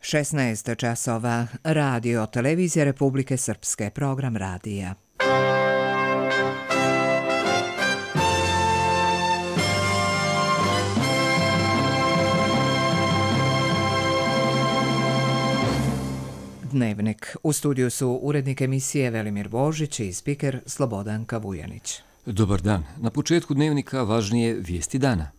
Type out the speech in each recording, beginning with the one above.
16 časova. Radio Televizija Republike Srpske. Program radija. Dnevnik. U studiju su urednik emisije Velimir Božić i spiker Slobodanka Vujanić. Dobar dan. Na početku dnevnika važnije vijesti dana.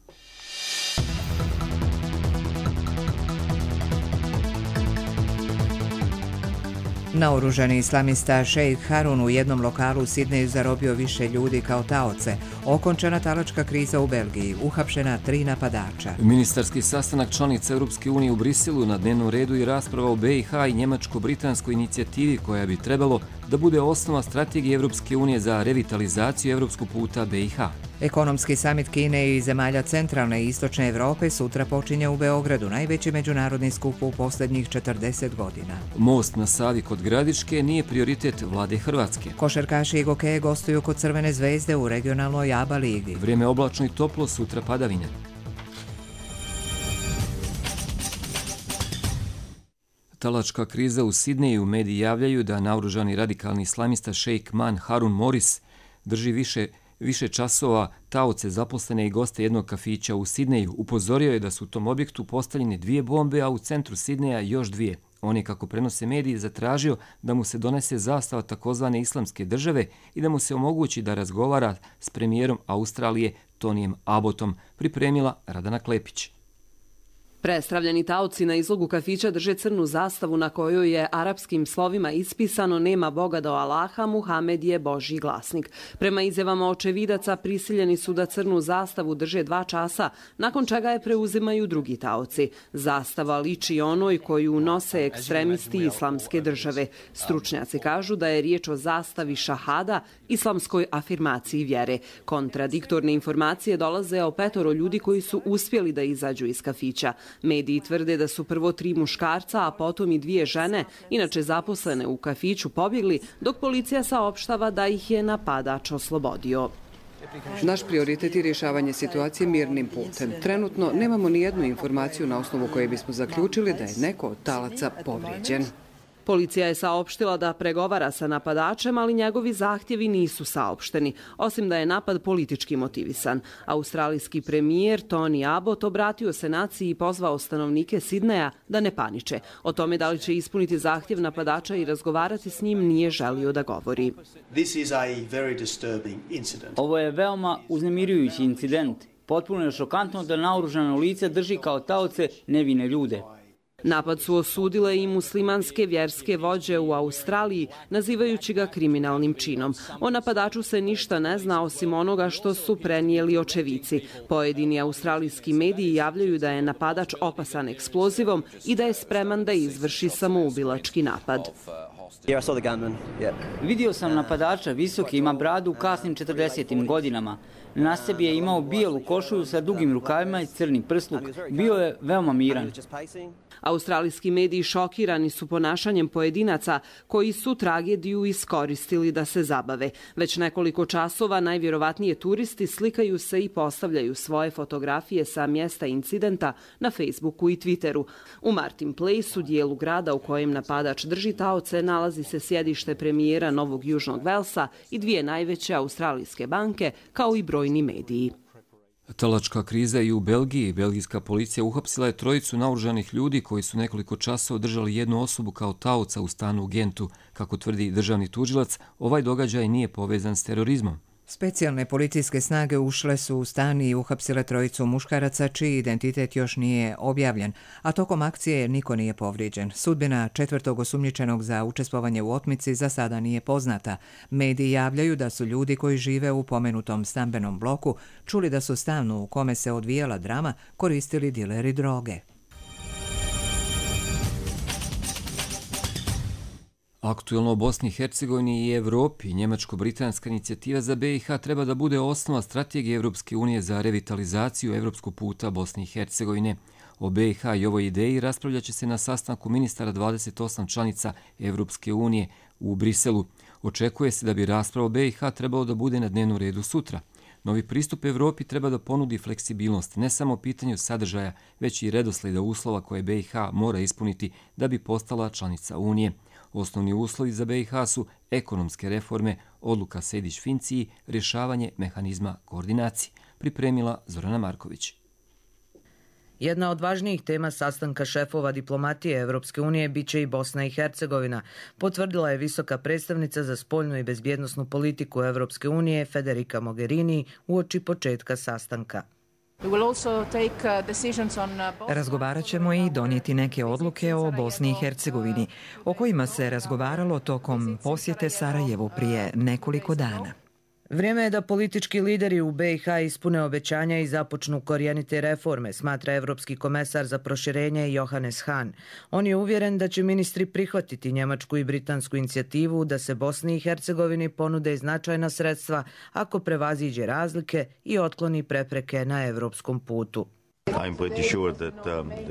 Naoružani islamista Šejk Harun u jednom lokalu u Sidneju zarobio više ljudi kao taoce. Okončana talačka kriza u Belgiji. Uhapšena 3 napadača. Ministarski sastanak članica Europske unije u Briselu, na dnevnom redu i rasprava o BiH i njemačko-britanskoj inicijativi koja bi trebalo da bude osnova strategije Europske unije za revitalizaciju evropskog puta BiH. Ekonomski samit Kine i zemalja centralne i istočne Evrope sutra počinje u Beogradu, najveći međunarodni skup u posljednjih 40 godina. Most na Savi kod Gradiške nije prioritet vlade Hrvatske. Košarkaši i gokeje gostuju kod Crvene zvezde u regionalnoj ABA ligi. Vrijeme oblačno i toplo, sutra padavine. Talačka kriza u Sidneju. Mediji javljaju da naoružani radikalni islamista Šejk Harun Moris drži više časova taoce, zaposlene i goste jednog kafića u Sidneju. Upozorio je da su u tom objektu postavljene 2 bombe, a u centru Sidneja još 2. On je, kako prenose mediji, zatražio da mu se donese zastava takozvane islamske države i da mu se omogući da razgovara s premijerom Australije Tonijem Abbotom, pripremila Radana Klepić. Prestravljeni taoci na izlogu kafića drže crnu zastavu na kojoj je arapskim slovima ispisano "Nema Boga do Allaha, Muhamed je Božji glasnik". Prema izjavama očevidaca, prisiljeni su da crnu zastavu drže 2 časa, nakon čega je preuzimaju drugi taoci. Zastava liči onoj koju nose ekstremisti islamske države. Stručnjaci kažu da je riječ o zastavi šahada, islamskoj afirmaciji vjere. Kontradiktorne informacije dolaze o 5 ljudi koji su uspjeli da izađu iz kafića. Mediji tvrde da su prvo 3 muškarca, a potom i 2 žene, inače zaposlene u kafiću, pobjegli, dok policija saopštava da ih je napadač oslobodio. Naš prioritet je rješavanje situacije mirnim putem. Trenutno nemamo ni jednu informaciju na osnovu koje bismo zaključili da je neko od talaca povrijeđen. Policija je saopštila da pregovara sa napadačem, ali njegovi zahtjevi nisu saopšteni, osim da je napad politički motivisan. Australijski premijer Tony Abbott obratio se naciji i pozvao stanovnike Sidneja da ne paniče. O tome da li će ispuniti zahtjev napadača i razgovarati s njim nije želio da govori. Ovo je veoma uznemirujući incident. Potpuno je šokantno da naoružano lice drži kao taoce nevine ljude. Napad su osudile i muslimanske vjerske vođe u Australiji, nazivajući ga kriminalnim činom. O napadaču se ništa ne zna osim onoga što su prenijeli očevici. Pojedini australijski mediji javljaju da je napadač opasan eksplozivom i da je spreman da izvrši samoubilački napad. Vidio sam napadača, visoki, ima bradu u kasnim 40. godinama. Na sebi je imao bijelu košulju sa dugim rukavima i crni prsluk. Bio je veoma miran. Australijski mediji šokirani su ponašanjem pojedinaca koji su tragediju iskoristili da se zabave. Već nekoliko časova najvjerovatnije turisti slikaju se i postavljaju svoje fotografije sa mjesta incidenta na Facebooku i Twitteru. U Martin Place, u dijelu grada u kojem napadač drži taoce, nalazi se sjedište premijera Novog Južnog Velsa i 2 najveće australijske banke, kao i brojni mediji. Talačka kriza i u Belgiji. Belgijska policija uhapsila je 3 naoružanih ljudi koji su nekoliko časova držali jednu osobu kao taoca u stanu u Gentu. Kako tvrdi državni tužilac, ovaj događaj nije povezan s terorizmom. Specijalne policijske snage ušle su u stan i uhapsile 3 muškaraca čiji identitet još nije objavljen, a tokom akcije niko nije povrijeđen. Sudbina 4. osumnjičenog za učestvovanje u otmici za sada nije poznata. Mediji javljaju da su ljudi koji žive u pomenutom stambenom bloku čuli da su stanu u kome se odvijala drama koristili dileri droge. Aktuelno u Bosni i Hercegovini i Evropi, njemačko-britanska inicijativa za BiH treba da bude osnova strategije Evropske unije za revitalizaciju evropskog puta Bosne i Hercegovine. O BiH i ovoj ideji raspravljat će se na sastanku ministara 28 članica Evropske unije u Briselu. Očekuje se da bi rasprava o BiH trebalo da bude na dnevnom redu sutra. Novi pristup Evropi treba da ponudi fleksibilnost, ne samo pitanju sadržaja, već i redosleda uslova koje BiH mora ispuniti da bi postala članica Unije. Osnovni uslovi za BiH su ekonomske reforme, odluka Sejdić-Finci i rješavanje mehanizma koordinacije, pripremila Zorana Marković. Jedna od važnijih tema sastanka šefova diplomatije Evropske unije biće i Bosna i Hercegovina, potvrdila je visoka predstavnica za spoljnu i bezbjednosnu politiku Evropske unije Federica Mogherini uoči početka sastanka. Razgovarat ćemo i donijeti neke odluke o Bosni i Hercegovini, o kojima se razgovaralo tokom posjete Sarajevu prije nekoliko dana. Vrijeme je da politički lideri u BiH ispune obećanja i započnu korijenite reforme, smatra evropski komesar za proširenje Johannes Hahn. On je uvjeren da će ministri prihvatiti njemačku i britansku inicijativu da se Bosni i Hercegovini ponude značajna sredstva ako prevaziđe razlike i otkloni prepreke na evropskom putu.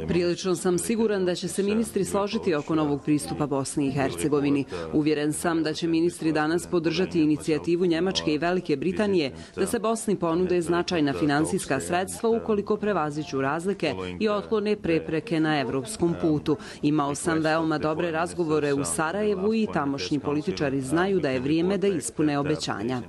Prilično sam siguran da će se ministri složiti oko novog pristupa Bosni i Hercegovini. Uvjeren sam da će ministri danas podržati inicijativu Njemačke i Velike Britanije da se Bosni ponude značajna finansijska sredstva ukoliko prevaziđu razlike i otklone prepreke na evropskom putu. Imao sam veoma dobre razgovore u Sarajevu i tamošnji političari znaju da je vrijeme da ispune obećanja.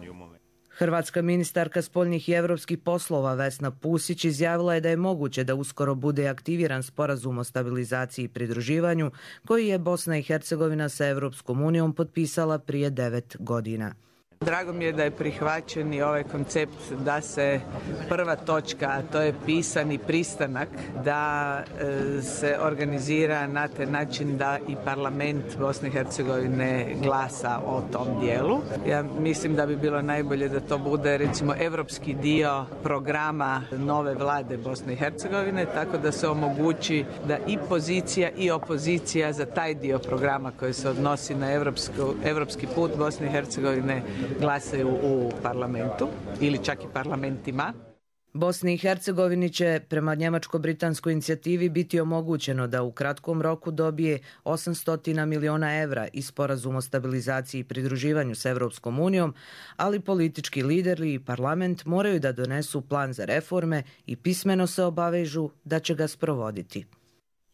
Hrvatska ministarka spoljnih i evropskih poslova Vesna Pusić izjavila je da je moguće da uskoro bude aktiviran sporazum o stabilizaciji i pridruživanju koji je Bosna i Hercegovina sa Evropskom unijom potpisala prije 9 godina. Drago mi je da je prihvaćen i ovaj koncept da se prva točka, a to je pisani pristanak, da se organizira na taj način da i parlament Bosne i Hercegovine glasa o tom dijelu. Ja mislim da bi bilo najbolje da to bude recimo evropski dio programa nove vlade Bosne i Hercegovine, tako da se omogući da i pozicija i opozicija za taj dio programa koji se odnosi na evropski put Bosne i Hercegovine glasaju u parlamentu ili čak i parlamentima. Bosni i Hercegovini će prema njemačko-britanskoj inicijativi biti omogućeno da u kratkom roku dobije 800 miliona evra iz sporazuma o stabilizaciji i pridruživanju s Evropskom unijom, ali politički lideri i parlament moraju da donesu plan za reforme i pismeno se obavežu da će ga sprovoditi.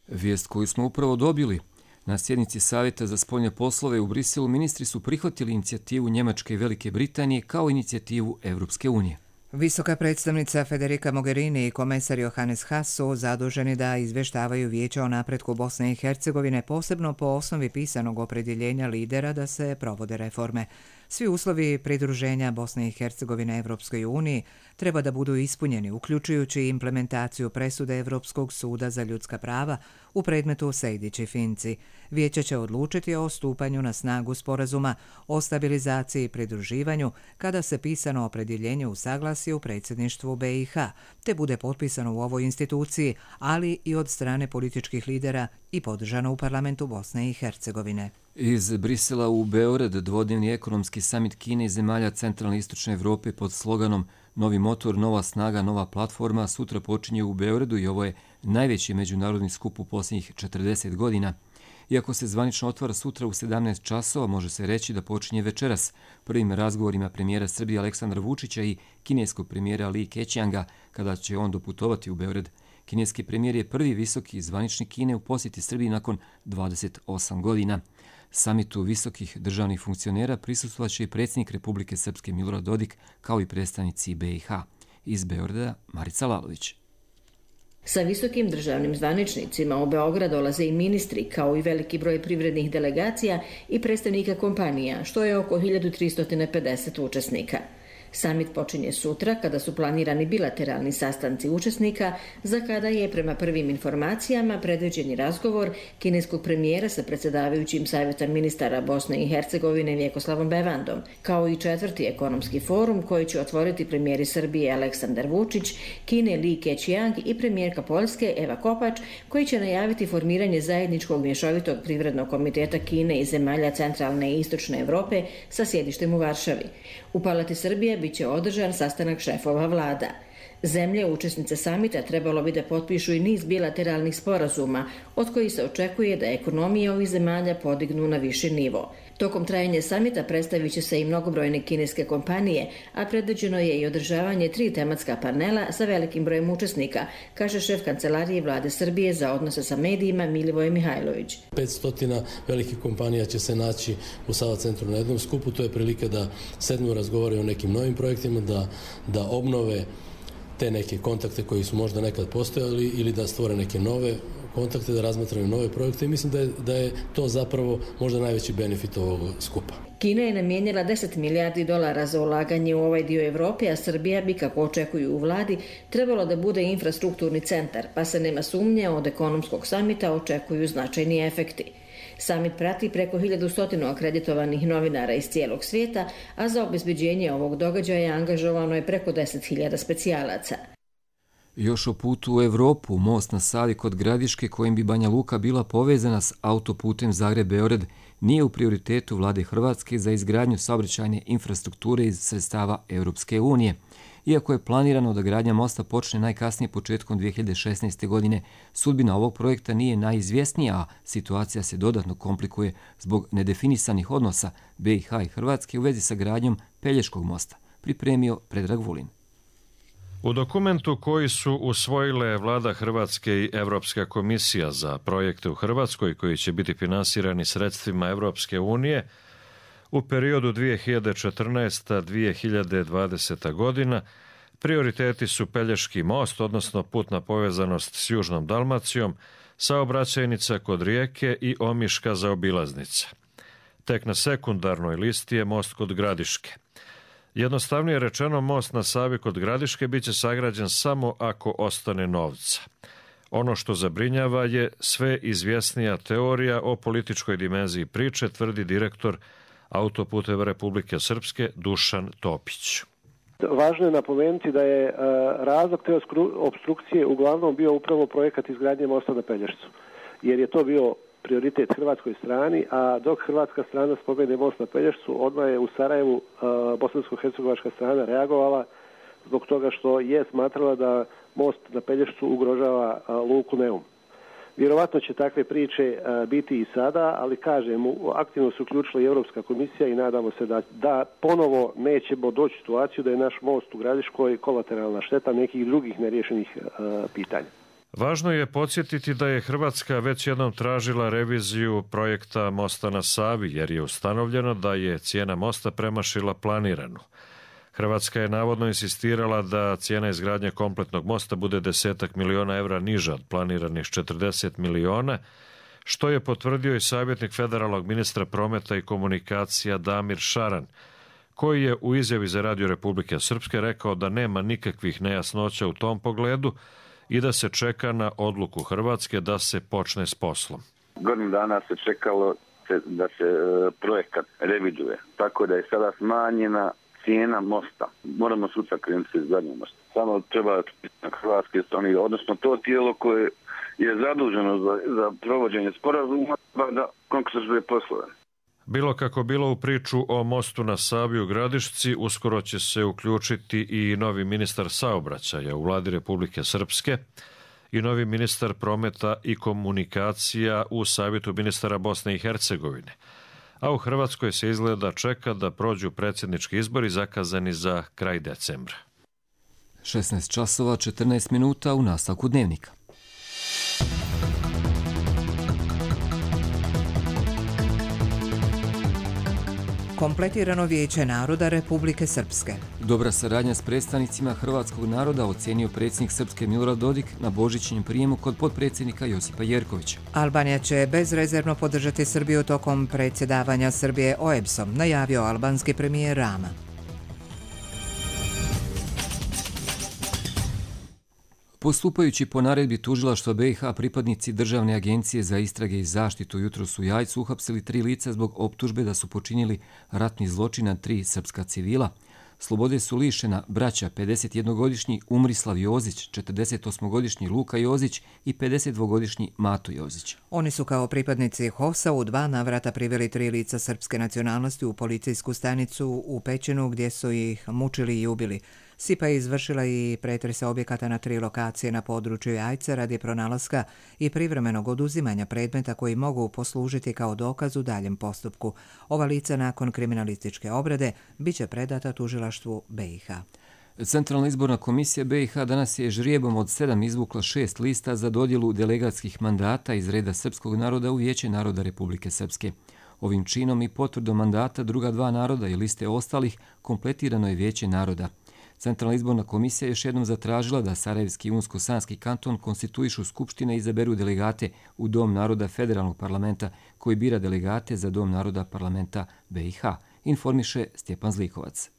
Vijest koju smo upravo dobili. Na sjednici Savjeta za spoljne poslove u Briselu ministri su prihvatili inicijativu Njemačke i Velike Britanije kao inicijativu Evropske unije. Visoka predstavnica Federica Mogherini i komesar Johannes Hahn su zaduženi da izvještavaju vijeća o napretku Bosne i Hercegovine, posebno po osnovi pisanog opredjeljenja lidera da se provode reforme. Svi uslovi pridruženja Bosne i Hercegovine Evropskoj uniji treba da budu ispunjeni, uključujući implementaciju presude Evropskog suda za ljudska prava u predmetu Sejdić i Finci. Vijeće će odlučiti o stupanju na snagu sporazuma o stabilizaciji i pridruživanju kada se pisano opredjeljenje usaglasi u predsjedništvu BiH, te bude potpisano u ovoj instituciji, ali i od strane političkih lidera i podržano u parlamentu Bosne i Hercegovine. Iz Brisela u Beograd dvodnevni ekonomski samit Kine i zemalja centralne i istočne Evrope pod sloganom Novi motor, nova snaga, nova platforma sutra počinje u Beogradu i ovo je najveći međunarodni skup u posljednjih 40 godina. Iako se zvanično otvara sutra u 17 časova, može se reći da počinje večeras prvim razgovorima premijera Srbije Aleksandra Vučića i kineskog premijera Li Keqianga kada će on doputovati u Beograd. Kineski premijer je prvi visoki zvaničnik Kine u posjeti Srbiji nakon 28 godina. Samitu visokih državnih funkcionera prisustvovaće i predsjednik Republike Srpske Milorad Dodik kao i predstavnici BiH. Iz Beograda Marica Lalović. Sa visokim državnim zvaničnicima u Beograd dolaze i ministri, kao i veliki broj privrednih delegacija i predstavnika kompanija, što je oko 1350 učesnika. Samit počinje sutra kada su planirani bilateralni sastanci učesnika, za kada je prema prvim informacijama predviđeni razgovor kineskog premijera sa predsjedavajućim Savjeta ministara Bosne i Hercegovine Vjekoslavom Bevandom, kao i 4. ekonomski forum koji će otvoriti premijeri Srbije Aleksandar Vučić, Kine Li Keqiang i premijerka Poljske Eva Kopač, koji će najaviti formiranje zajedničkog mješovitog privrednog komiteta Kine i zemalja centralne i istočne Evrope sa sjedištem u Varšavi. U Palati Srbije biće održan sastanak šefova vlada. Zemlje učesnice samita trebalo bi da potpišu i niz bilateralnih sporazuma, od kojih se očekuje da ekonomije ovih zemalja podignu na viši nivo. Tokom trajanja samita predstavit će se i mnogobrojne kineske kompanije, a predviđeno je i održavanje 3 tematska panela sa velikim brojem učesnika, kaže šef Kancelarije Vlade Srbije za odnose sa medijima Milivoje Mihajlović. 500 velikih kompanija će se naći u Sava centru na jednom skupu. To je prilika da sednu, razgovaraju o nekim novim projektima, da obnove te neke kontakte koji su možda nekad postojali ili da stvore neke nove kontakte, da razmatraju nove projekte i mislim da je to zapravo možda najveći benefit ovog skupa. Kina je namijenila $10 milijardi za ulaganje u ovaj dio Evrope, a Srbija bi, kako očekuju u vladi, trebalo da bude infrastrukturni centar, pa se nema sumnje od ekonomskog samita očekuju značajni efekti. Samit prati preko 1100 akreditovanih novinara iz cijelog svijeta, a za obezbeđenje ovog događaja angažovano je preko 10.000 specijalaca. Još o putu u Evropu, most na Savi kod Gradiške, kojim bi Banja Luka bila povezana s autoputem Zagreb-Beograd, nije u prioritetu vlade Hrvatske za izgradnju saobraćajne infrastrukture iz sredstava Europske unije. Iako je planirano da gradnja mosta počne najkasnije početkom 2016. godine, sudbina ovog projekta nije najizvjesnija, a situacija se dodatno komplikuje zbog nedefinisanih odnosa BiH i Hrvatske u vezi sa gradnjom Pelješkog mosta, pripremio Predrag Vulin. U dokumentu koji su usvojile Vlada Hrvatske i Evropska komisija za projekte u Hrvatskoj koji će biti finansirani sredstvima Evropske unije u periodu 2014-2020 godina, prioriteti su Pelješki most, odnosno putna povezanost s Južnom Dalmacijom, saobraćajnica kod Rijeke i Omiška zaobilaznica. Tek na sekundarnoj listi je most kod Gradiške. Jednostavnije rečeno, most na Savi kod Gradiške biće sagrađen samo ako ostane novca. Ono što zabrinjava je sve izvjesnija teorija o političkoj dimenziji priče, tvrdi direktor Autoputeva Republike Srpske Dušan Topić. Važno je napomenuti da je razlog te opstrukcije uglavnom bio upravo projekat izgradnje mosta na Pelješcu, jer je to bio prioritet hrvatskoj strani, a dok hrvatska strana spomene most na Pelješcu, odmah je u Sarajevu bosansko-hercegovačka strana reagovala zbog toga što je smatrala da most na Pelješcu ugrožava luku Neum. Vjerovatno će takve priče biti i sada, ali kažem, aktivno se uključila i Europska komisija i nadamo se da ponovo nećemo doći u situaciju da je naš most u Gradiškoj kolateralna šteta nekih drugih neriješenih pitanja. Važno je podsjetiti da je Hrvatska već jednom tražila reviziju projekta mosta na Savi, jer je ustanovljeno da je cijena mosta premašila planiranu. Hrvatska je navodno insistirala da cijena izgradnje kompletnog mosta bude 10 miliona evra niža od planiranih 40 miliona, što je potvrdio i savjetnik federalnog ministra prometa i komunikacija Damir Šaran, koji je u izjavi za Radio Republike Srpske rekao da nema nikakvih nejasnoća u tom pogledu i da se čeka na odluku Hrvatske da se počne s poslom. Godinu dana se čekalo da se projekat reviduje, tako da je sada smanjena cijena mosta. Moramo sutra krenuti se izgradnjom mosta. Samo treba na hrvatske strane, odnosno to tijelo koje je zaduženo za provođenje sporazuma da konkretizuje poslove. Bilo kako bilo, u priču o mostu na Savi u Gradišci uskoro će se uključiti i novi ministar saobraćaja u Vladi Republike Srpske i novi ministar prometa i komunikacija u Savjetu ministara Bosne i Hercegovine. A u Hrvatskoj se izgleda čeka da prođu predsjednički izbori zakazani za kraj decembra. 16 časova 14 minuta u nastavku dnevnika. Kompletirano Vijeće naroda Republike Srpske. Dobra saradnja s predstavnicima hrvatskog naroda ocenio predsjednik Srpske Milorad Dodik na božićnjem prijemu kod potpredsjednika Josipa Jerkovića. Albanija će bezrezervno podržati Srbiju tokom predsjedavanja Srbije OEBS-om, najavio albanski premijer Rama. Postupajući po naredbi tužilaštva BiH, pripadnici Državne agencije za istrage i zaštitu jutros u Jajcu uhapsili 3 lica zbog optužbe da su počinili ratni zločin nad 3 srpska civila. Slobode su lišena braća 51-godišnji Umrislav Jozić, 48-godišnji Luka Jozić i 52-godišnji Mato Jozić. Oni su kao pripadnici HOS-a u 2 navrata priveli 3 lica srpske nacionalnosti u policijsku stanicu u Pećinu gdje su ih mučili i ubili. SIPA je izvršila i pretrese objekata na 3 lokacije na području Jajce radi pronalaska i privremenog oduzimanja predmeta koji mogu poslužiti kao dokaz u daljem postupku. Ova lica nakon kriminalističke obrade biće predata tužilaštvu BiH. Centralna izborna komisija BiH danas je žrijebom od 7 izvukla 6 lista za dodjelu delegatskih mandata iz reda srpskog naroda u Vijeće naroda Republike Srpske. Ovim činom i potvrdom mandata druga 2 naroda i liste ostalih kompletirano je Vijeće naroda. Centralna izborna komisija još jednom zatražila da Sarajevski i Unsko-Sanski kanton konstituišu skupštine i izaberu delegate u Dom naroda federalnog parlamenta koji bira delegate za Dom naroda parlamenta BiH, informiše Stjepan Zlikovac.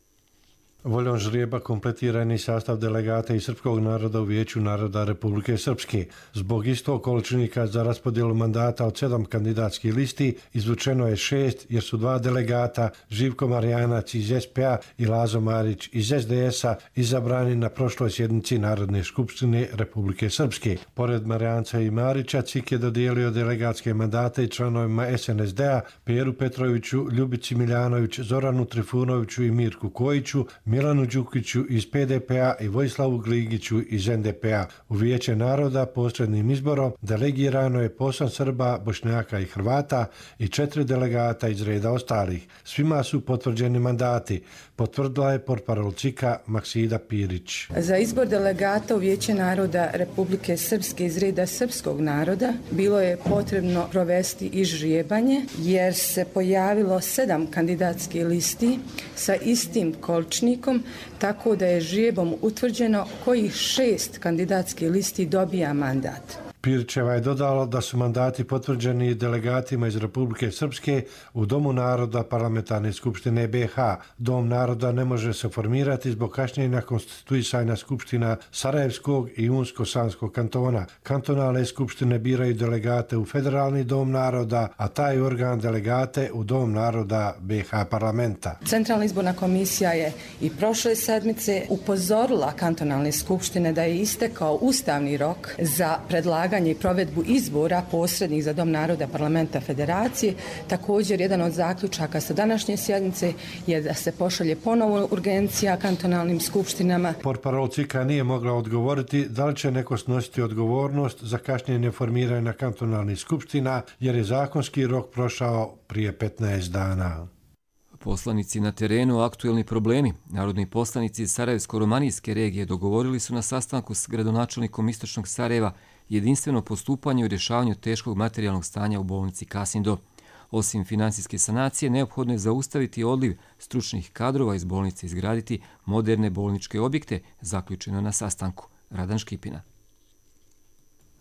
Voljom žrijeba kompletiran je sastav delegata iz srpskog naroda u Vijeću naroda Republike Srpske. Zbog istog količnika za raspodjelu mandata od 7 kandidatskih listi izvučeno je 6 jer su 2 delegata, Živko Marijanac iz SPA i Lazo Marić iz SDS-a, izabrani na prošloj sjednici Narodne skupštine Republike Srpske. Pored Marijanca i Marića, CIK je dodijelio delegatske mandate i članovima SNSD-a, Peru Petroviću, Ljubici Miljanović, Zoranu Trifunoviću i Mirku Kojiću, Milanu Đukiću iz PDP-a i Vojislavu Gligiću iz NDP-a. U Vijeće naroda posrednim izborom delegirano je 8 Srba, Bošnjaka i Hrvata i 4 delegata iz reda ostalih. Svima su potvrđeni mandati, potvrdila je portparol CIK-a Maksida Pirić. Za izbor delegata u Vijeće naroda Republike Srpske iz reda srpskog naroda bilo je potrebno provesti i žrijebanje jer se pojavilo 7 kandidatskih listi sa istim količnikom, tako da je žrijebom utvrđeno kojih 6 kandidatskih listi dobija mandat. Pirićeva je dodala da su mandati potvrđeni delegatima iz Republike Srpske u Domu naroda Parlamentarne skupštine BiH. Dom naroda ne može se formirati zbog kašnjenja konstituisanja skupština Sarajevskog i Unsko-Sanskog kantona. Kantonalne skupštine biraju delegate u Federalni dom naroda, a taj organ delegate u Dom naroda BiH parlamenta. Centralna izborna komisija je i prošle sedmice upozorila kantonalne skupštine da je istekao ustavni rok za predlaganje i provedbu izbora posrednih za Dom naroda parlamenta federacije. Također, jedan od zaključaka sa današnje sjednice je da se pošalje ponovo urgencija kantonalnim skupštinama. Portparol CIK-a nije mogla odgovoriti da li će neko snositi odgovornost za kašnjenje formiranja kantonalnih skupština jer je zakonski rok prošao prije 15 dana. Poslanici na terenu, aktuelni problemi. Narodni poslanici iz Sarajevsko-romanijske regije dogovorili su na sastanku s gradonačelnikom Istočnog Sarajeva jedinstveno postupanje u rješavanju teškog materijalnog stanja u bolnici Kasindo. Osim finansijske sanacije, neophodno je zaustaviti odliv stručnih kadrova iz bolnice i izgraditi moderne bolničke objekte, zaključeno na sastanku. Radan Škipina.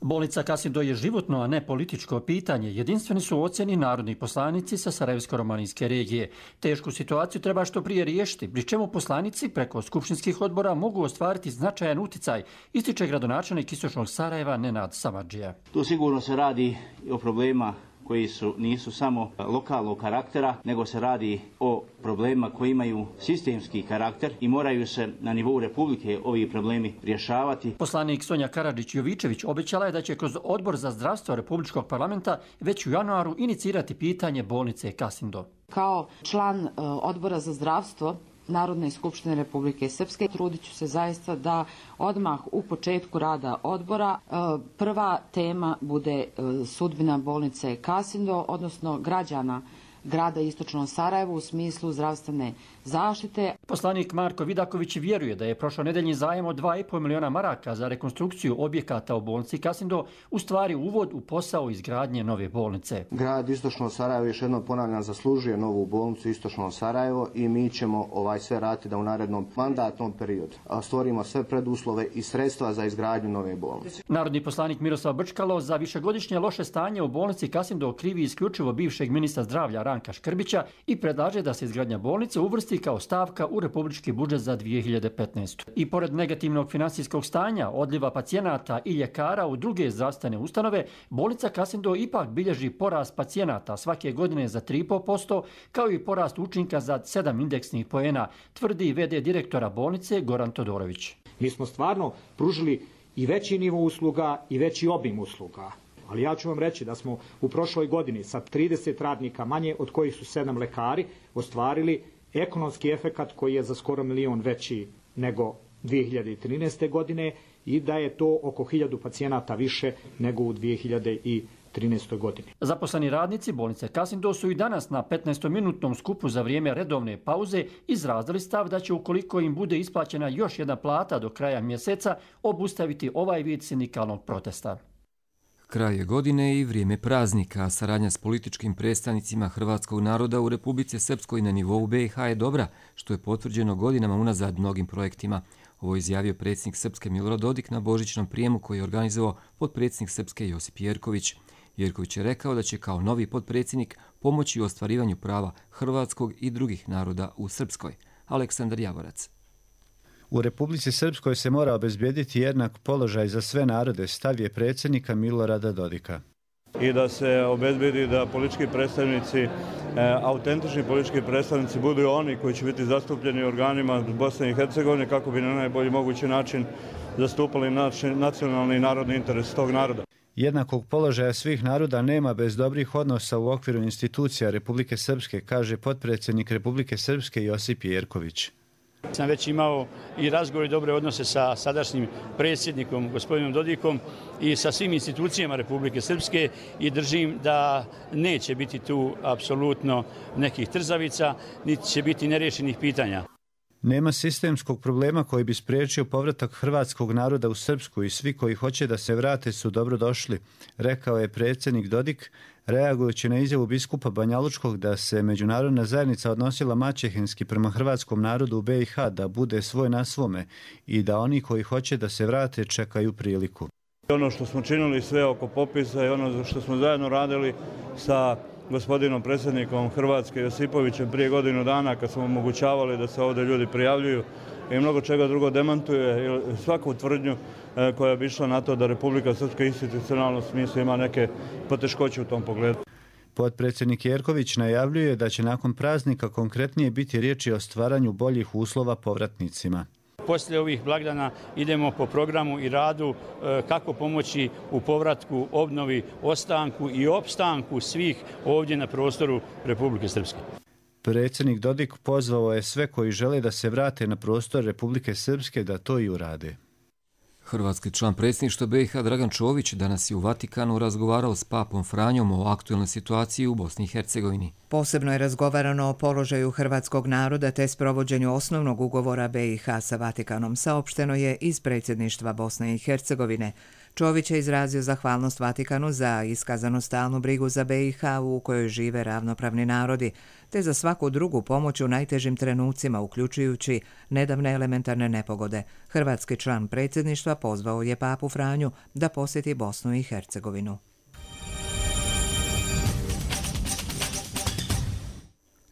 Bolnica Kasindo je životno, a ne političko pitanje. Jedinstveni su ocjeni narodni poslanici sa Sarajevsko-romanijske regije. Tešku situaciju treba što prije riješiti, pri čemu poslanici preko skupštinskih odbora mogu ostvariti značajan uticaj, ističe gradonačelnik Istočnog Sarajeva Nenad Samardžija. Tu sigurno se radi o problema koji nisu samo lokalnog karaktera, nego se radi o problemima koji imaju sistemski karakter i moraju se na nivou Republike ovi problemi rješavati. Poslanik Sonja Karadžić-Jovičević obećala je da će kroz Odbor za zdravstvo Republičkog parlamenta već u januaru inicirati pitanje bolnice Kasindo. Kao član Odbora za zdravstvo Narodne skupštine Republike Srpske trudit ću se zaista da odmah u početku rada odbora prva tema bude sudbina bolnice Kasindo, odnosno građana grada Istočno Sarajevo u smislu zdravstvene zaštite. Poslanik Marko Vidaković vjeruje da je prošlonedeljni zajam od 2,5 miliona maraka za rekonstrukciju objekata u bolnici Kasindo u stvari uvod u posao izgradnje nove bolnice. Grad Istočno Sarajevo, još jednom ponavljam, zaslužuje novu bolnicu Istočno Sarajevo i mi ćemo sve raditi da u narednom mandatnom periodu stvorimo sve preduslove i sredstva za izgradnju nove bolnice. Narodni poslanik Miroslav Brčkalo za višegodišnje loše stanje u bolnici Kasindo krivi isključivo bivšeg ministra zdravlja Ranka Škrbića i predlaže da se izgradnja bolnice uvrsti kao stavka u republički budžet za 2015. I pored negativnog finansijskog stanja, odljiva pacijenata i ljekara u druge zdravstvene ustanove, bolnica Kasindo ipak bilježi porast pacijenata svake godine za 3,5%, kao i porast učinka za 7 indeksnih poena, tvrdi v.d. direktora bolnice Goran Todorović. Mi smo stvarno pružili i veći nivo usluga i veći obim usluga. Ali ja ću vam reći da smo u prošloj godini sa 30 radnika manje, od kojih su 7 lekari, ostvarili ekonomski efekat koji je za skoro 1 milion veći nego 2013. godine i da je to oko 1000 pacijenata više nego u 2013. godini. Zaposleni radnici bolnice Kasindo su i danas na 15-minutnom skupu za vrijeme redovne pauze izrazili stav da će, ukoliko im bude isplaćena još jedna plata do kraja mjeseca, obustaviti ovaj vid sindikalnog protesta. Kraj je godine i vrijeme praznika, a saradnja s političkim predstavnicima hrvatskog naroda u Republici Srpskoj na nivou BiH je dobra, što je potvrđeno godinama unazad mnogim projektima. Ovo je izjavio predsjednik Srpske Milorad Dodik na božićnom prijemu koji je organizovao potpredsjednik Srpske Josip Jerković. Jerković je rekao da će kao novi potpredsjednik pomoći u ostvarivanju prava hrvatskog i drugih naroda u Srpskoj. Aleksandar Javorac. U Republici Srpskoj se mora obezbijediti jednak položaj za sve narode, stav je predsjednika Milorada Dodika. I da se obezbijedi da politički predstavnici, autentični politički predstavnici budu oni koji će biti zastupljeni u organima Bosne i Hercegovine kako bi na najbolji mogući način zastupali nacionalni i narodni interes tog naroda. Jednakog položaja svih naroda nema bez dobrih odnosa u okviru institucija Republike Srpske, kaže potpredsjednik Republike Srpske Josip Jerković. Sam već imao i razgovor i dobre odnose sa sadašnjim predsjednikom, gospodinom Dodikom, i sa svim institucijama Republike Srpske i držim da neće biti tu apsolutno nekih trzavica, niti će biti nerješenih pitanja. Nema sistemskog problema koji bi spriječio povratak hrvatskog naroda u Srpsku i svi koji hoće da se vrate su dobro došli, rekao je predsjednik Dodik, reagujući na izjavu biskupa Banjalučkog da se međunarodna zajednica odnosila maćehinski prema hrvatskom narodu u BiH, da bude svoj na svome i da oni koji hoće da se vrate čekaju priliku. Ono što smo činili sve oko popisa i ono što smo zajedno radili sa gospodinom predsjednikom Hrvatske Josipovićem prije godinu dana kad smo omogućavali da se ovdje ljudi prijavljuju i mnogo čega drugo demantuje svaku tvrdnju koja bi išla na to da Republika Srpska institucionalno smislu ima neke poteškoće u tom pogledu. Potpredsjednik Jerković najavljuje da će nakon praznika konkretnije biti riječi o stvaranju boljih uslova povratnicima. Poslije ovih blagdana idemo po programu i radu kako pomoći u povratku, obnovi, ostanku i opstanku svih ovdje na prostoru Republike Srpske. Predsjednik Dodik pozvao je sve koji žele da se vrate na prostor Republike Srpske da to i urade. Hrvatski član predsjedništva BiH Dragan Čović danas je u Vatikanu razgovarao s papom Franjom o aktualnoj situaciji u Bosni i Hercegovini. Posebno je razgovarano o položaju hrvatskog naroda te sprovođenju osnovnog ugovora BiH sa Vatikanom, saopšteno je iz predsjedništva Bosne i Hercegovine. Čović je izrazio zahvalnost Vatikanu za iskazanu stalnu brigu za BiH u kojoj žive ravnopravni narodi, te za svaku drugu pomoć u najtežim trenucima, uključujući nedavne elementarne nepogode. Hrvatski član predsjedništva pozvao je papu Franju da posjeti Bosnu i Hercegovinu.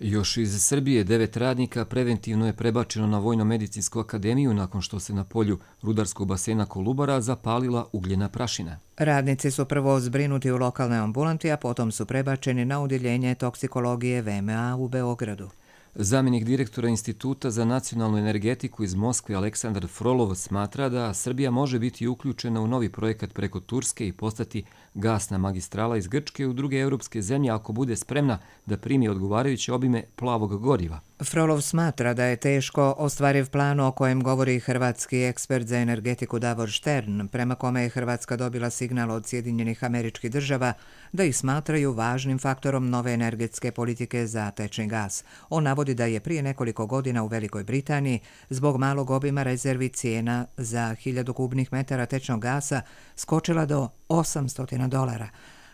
Još iz Srbije 9 radnika preventivno je prebačeno na Vojno-medicinsku akademiju nakon što se na polju rudarskog basena Kolubara zapalila ugljena prašina. Radnici su prvo zbrinuti u lokalnoj ambulanti, a potom su prebačeni na odjeljenje toksikologije VMA u Beogradu. Zamjenik direktora Instituta za nacionalnu energetiku iz Moskve Aleksandar Frolov smatra da Srbija može biti uključena u novi projekat preko Turske i postati gasna magistrala iz Grčke u druge europske zemlje ako bude spremna da primi odgovarajuće obime plavog goriva. Frolov smatra da je teško ostvariv plan o kojem govori hrvatski ekspert za energetiku Davor Štern, prema kome je Hrvatska dobila signal od Sjedinjenih Američkih Država da ih smatraju važnim faktorom nove energetske politike za tečni gas. On navodi da je prije nekoliko godina u Velikoj Britaniji zbog malog obima rezervi cijena za 1000 kubnih metara tečnog gasa skočila do $800,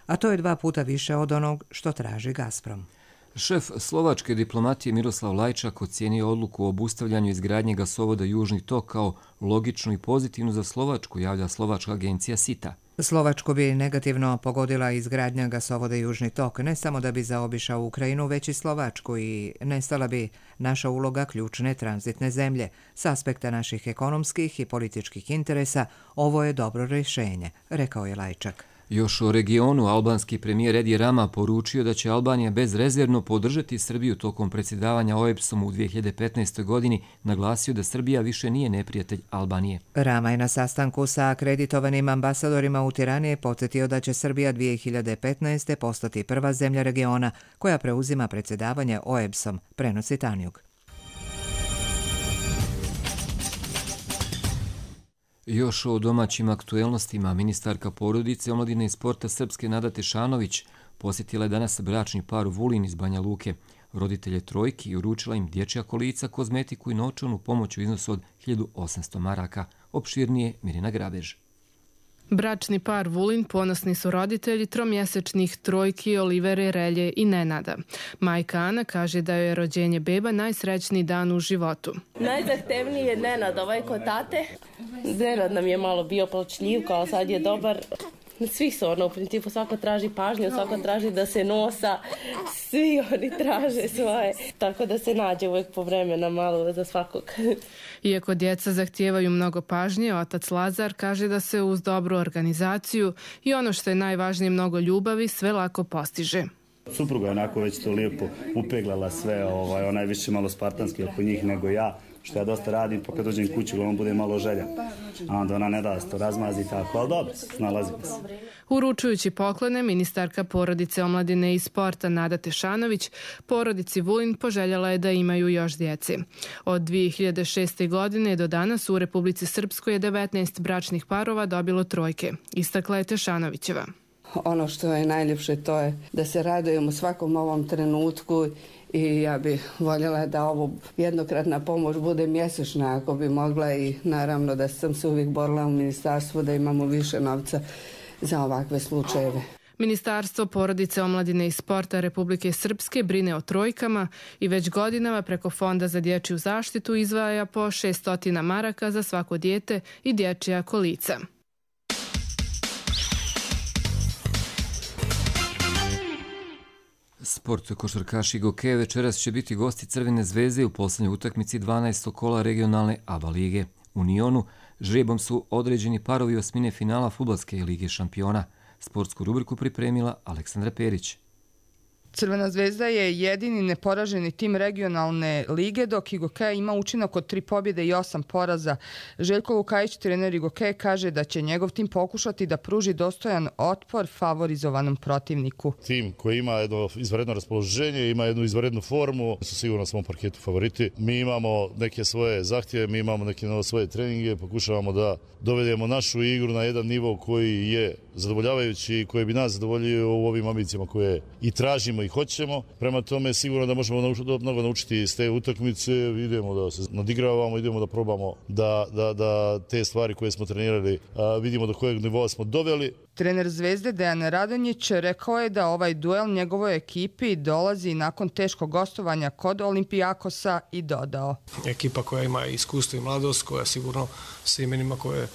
a to je 2 puta više od onog što traži Gazprom. Šef slovačke diplomatije Miroslav Lajčak ocijenio odluku o obustavljanju izgradnje gasovoda Južni tok kao logičnu i pozitivnu za Slovačku, javlja slovačka agencija SITA. Slovačku bi negativno pogodila izgradnja gasovoda Južni tok, ne samo da bi zaobišao Ukrajinu, već i Slovačku i nestala bi naša uloga ključne tranzitne zemlje. S aspekta naših ekonomskih i političkih interesa, ovo je dobro rješenje, rekao je Lajčak. Još o regionu, albanski premijer Edi Rama poručio da će Albanija bezrezervno podržati Srbiju tokom predsjedavanja OEBS-om u 2015. godini, naglasio da Srbija više nije neprijatelj Albanije. Rama je na sastanku sa akreditovanim ambasadorima u Tirani podsjetio da će Srbija 2015. postati prva zemlja regiona koja preuzima predsjedavanje OEBS-om, prenosi Tanjug. Još o domaćim aktuelnostima ministarka porodice, omladine i sporta Srpske Nada Tešanović posjetila je danas bračni par Vulin iz Banja Luke, roditelje trojki, i uručila im dječja kolica, kozmetiku i novčanu pomoć u iznosu od 1800 maraka. Opširnije Mirina Grabež. Bračni par Vulin ponosni su roditelji tromjesečnih trojki Olivere, Relje i Nenada. Majka Ana kaže da je rođenje beba najsrećniji dan u životu. Najzahtevniji je Nenad, ovaj kod tate. Nenad nam je malo bio plačljiv, kao sad je dobar. Svi su u principu, svako traži pažnju, svako traži da se nosa, svi oni traže svoje, tako da se nađe uvijek po vremena malo za svakog. Iako djeca zahtijevaju mnogo pažnje, otac Lazar kaže da se uz dobru organizaciju i ono što je najvažnije, mnogo ljubavi, sve lako postiže. Supruga je onako već to lijepo upeglala sve, ona je više malo spartanski oko njih nego ja, što ja dosta radim, pa kad dođem kući, on bude malo želja. A onda ona ne da da se to razmazi tako, ali dobro, snalazimo se. Uručujući poklone, ministarka porodice, omladine i sporta Nada Tešanović porodici Vulin poželjela je da imaju još djece. Od 2006. godine do danas u Republici Srpskoj je 19 bračnih parova dobilo trojke, istakla je Tešanovićeva. Ono što je najljepše to je da se radujemo svakom novom trenutku i ja bih voljela da ovo jednokratna pomoć bude mjesečna ako bi mogla i naravno da sam se uvijek borila u ministarstvu da imamo više novca za ovakve slučajeve. Ministarstvo porodice, omladine i sporta Republike Srpske brine o trojkama i već godinama preko Fonda za dječju zaštitu izdvaja po 600 maraka za svako dijete i dječja kolica. Sport košarkaši Goke večeras će biti gosti Crvene zvezde u posljednjoj utakmici 12. kola regionalne ABA lige. U Nionu žrebom su određeni parovi osmine finala Fudbalske lige šampiona. Sportsku rubriku pripremila Aleksandra Perić. Crvena zvezda je jedini neporaženi tim regionalne lige, dok Igokeja ima učinak od 3 pobjede i 8 poraza. Željko Lukajić, trener Igokeje, kaže da će njegov tim pokušati da pruži dostojan otpor favorizovanom protivniku. Tim koji ima jedno izvanredno raspoloženje, ima jednu izvanrednu formu, su sigurno na svom parketu favoriti. Mi imamo neke svoje zahtjeve, mi imamo neke svoje treninge, pokušavamo da dovedemo našu igru na jedan nivo koji je zadovoljavajući i koji bi nas zadovoljio u ovim ambicijama koje i tražimo i hoćemo. Prema tome sigurno da možemo mnogo naučiti iz te utakmice, idemo da se nadigravamo, idemo da probamo da te stvari koje smo trenirali vidimo do kojeg nivoa smo doveli. Trener Zvezde Dejan Radonjić rekao je da ovaj duel njegovoj ekipi dolazi nakon teškog gostovanja kod Olimpijakosa i dodao. Ekipa koja ima iskustvo i mladost, koja sigurno sa imenima koje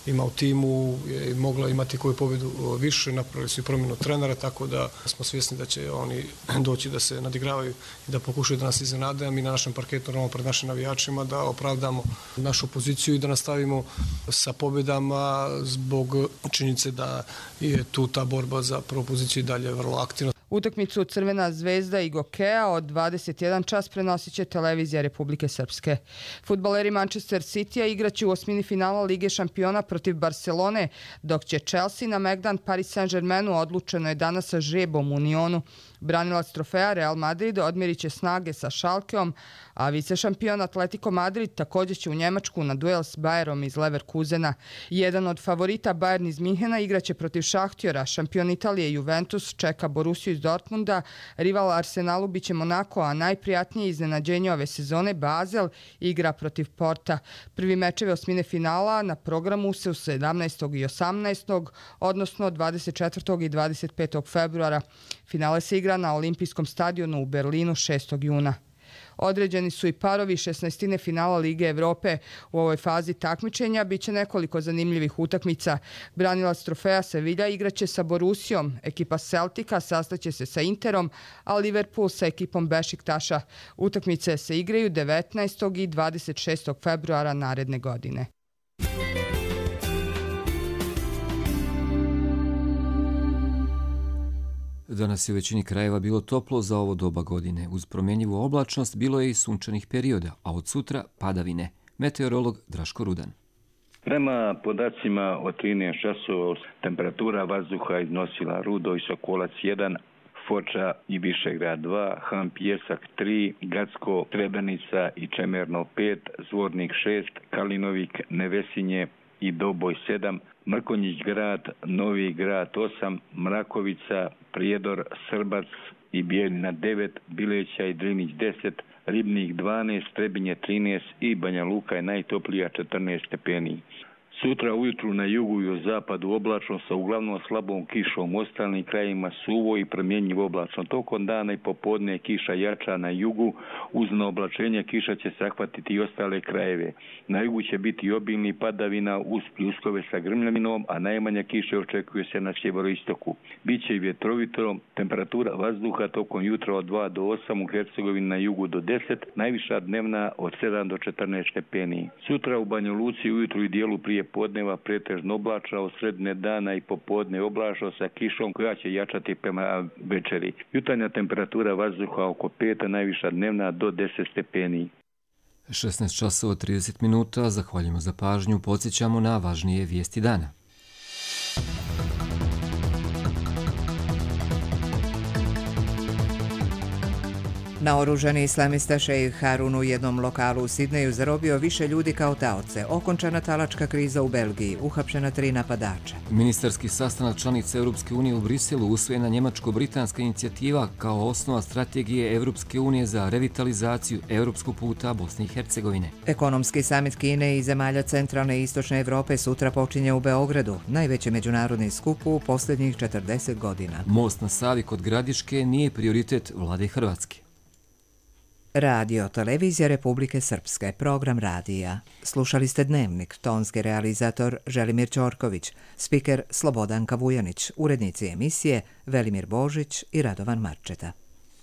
ima u timu je mogla imati koju pobjedu više, napravili su i promjenu trenera, tako da smo svjesni da će oni doći da se nadigravaju i da pokušaju da nas iznenade, a mi na našem parketu, normalno pred našim navijačima, da opravdamo našu poziciju i da nastavimo sa pobjedama zbog činjenice da je tu ta borba za prvu poziciju i dalje vrlo aktivna. Utakmicu Crvena zvezda i Gokeja od 21 čas prenosit će televizija Republike Srpske. Fudbaleri Manchester Citya igraće u osmini finala Lige šampiona protiv Barcelone, dok će Chelsea na Megdan Paris Saint-Germainu, odlučeno je danas sa žrebom u Nionu. Branilac trofeja Real Madrid odmjerit će snage sa Schalkeom, a vicešampion Atletico Madrid također će u Njemačku na duel s Bayerom iz Leverkusena. Jedan od favorita, Bayern iz Minhena, igraće protiv Šahtjora. Šampion Italije Juventus čeka Borussiju iz Dortmunda, rival Arsenalu biće Monako, a najprijatnije iznenađenje ove sezone Basel igra protiv Porta. Prvi mečeve osmine finala na programu se u 17. i 18. odnosno 24. i 25. februara. Finale se igra na Olimpijskom stadionu u Berlinu 6. juna. Određeni su i parovi 16. finala Lige Evrope. U ovoj fazi takmičenja biće nekoliko zanimljivih utakmica. Branilac trofeja Sevilla igraće sa Borussijom, ekipa Celtica sastaće se sa Interom, a Liverpool sa ekipom Bešiktaša. Utakmice se igraju 19. i 26. februara naredne godine. Danas je u većini krajeva bilo toplo za ovo doba godine. Uz promjenjivu oblačnost bilo je i sunčanih perioda, a od sutra padavine. Meteorolog Draško Rudan. Prema podacima od 13 časova temperatura vazduha iznosila Rudo i Sokolac 1, Foča i Višegrad 2, Han Pijesak 3, Gacko, Trebenica i Čemerno 5, Zvornik 6, Kalinovik, Nevesinje, i Doboj 7, Mrkonjić grad, Novi grad 8, Mrakovica, Prijedor, Srbac i Bijeljina 9, Bileća i Drinić 10, Ribnik 12, Trebinje 13 i Banja Luka je najtoplija 14 stepeni. Sutra ujutru na jugu i u zapadu oblačno sa uglavnom slabom kišom, u ostalim krajima suvo i promjenjivo oblačno. Tokom dana i popodne kiša jača na jugu, uz naoblačenje kiša će zahvatiti i ostale krajeve. Na jugu će biti obilni padavina uz pljuskove sa grmljavinom, a najmanja kiša očekuje se na sjeveroistoku. Biće i vjetrovito, temperatura vazduha tokom jutra od 2 do 8, u Hercegovini na jugu do 10, najviša dnevna od 7 do 14 stepeni. Sutra u Banja Luci ujutru i dijelu prije podneva pretežno oblačno, od sredine dana i popodne oblačno sa kišom koja će jačati prema večeri. Jutarnja temperatura vazduha oko 5, a najviša dnevna do 10 stepeni. 16 časova 30 minuta, zahvaljujemo za pažnju, podsjećamo na važnije vijesti dana. Naoružani islamista šejh Harun u jednom lokalu u Sidneju zarobio više ljudi kao taoce. Okončana talačka kriza u Belgiji, uhapšena 3 napadača. Ministarski sastanak članica Europske unije u Briselu usvojena njemačko-britanska inicijativa kao osnova strategije Europske unije za revitalizaciju europskog puta Bosne i Hercegovine. Ekonomski samit Kine i zemalja centralne i istočne Evrope sutra počinje u Beogradu, najveći međunarodni skup u posljednjih 40 godina. Most na Savi kod Gradiške nije prioritet vlade Hrvatske. Radio Televizija Republike Srpske, program radija. Slušali ste Dnevnik, tonski realizator Želimir Ćorković, spiker Slobodanka Vujanić, urednici emisije Velimir Božić i Radovan Marčeta.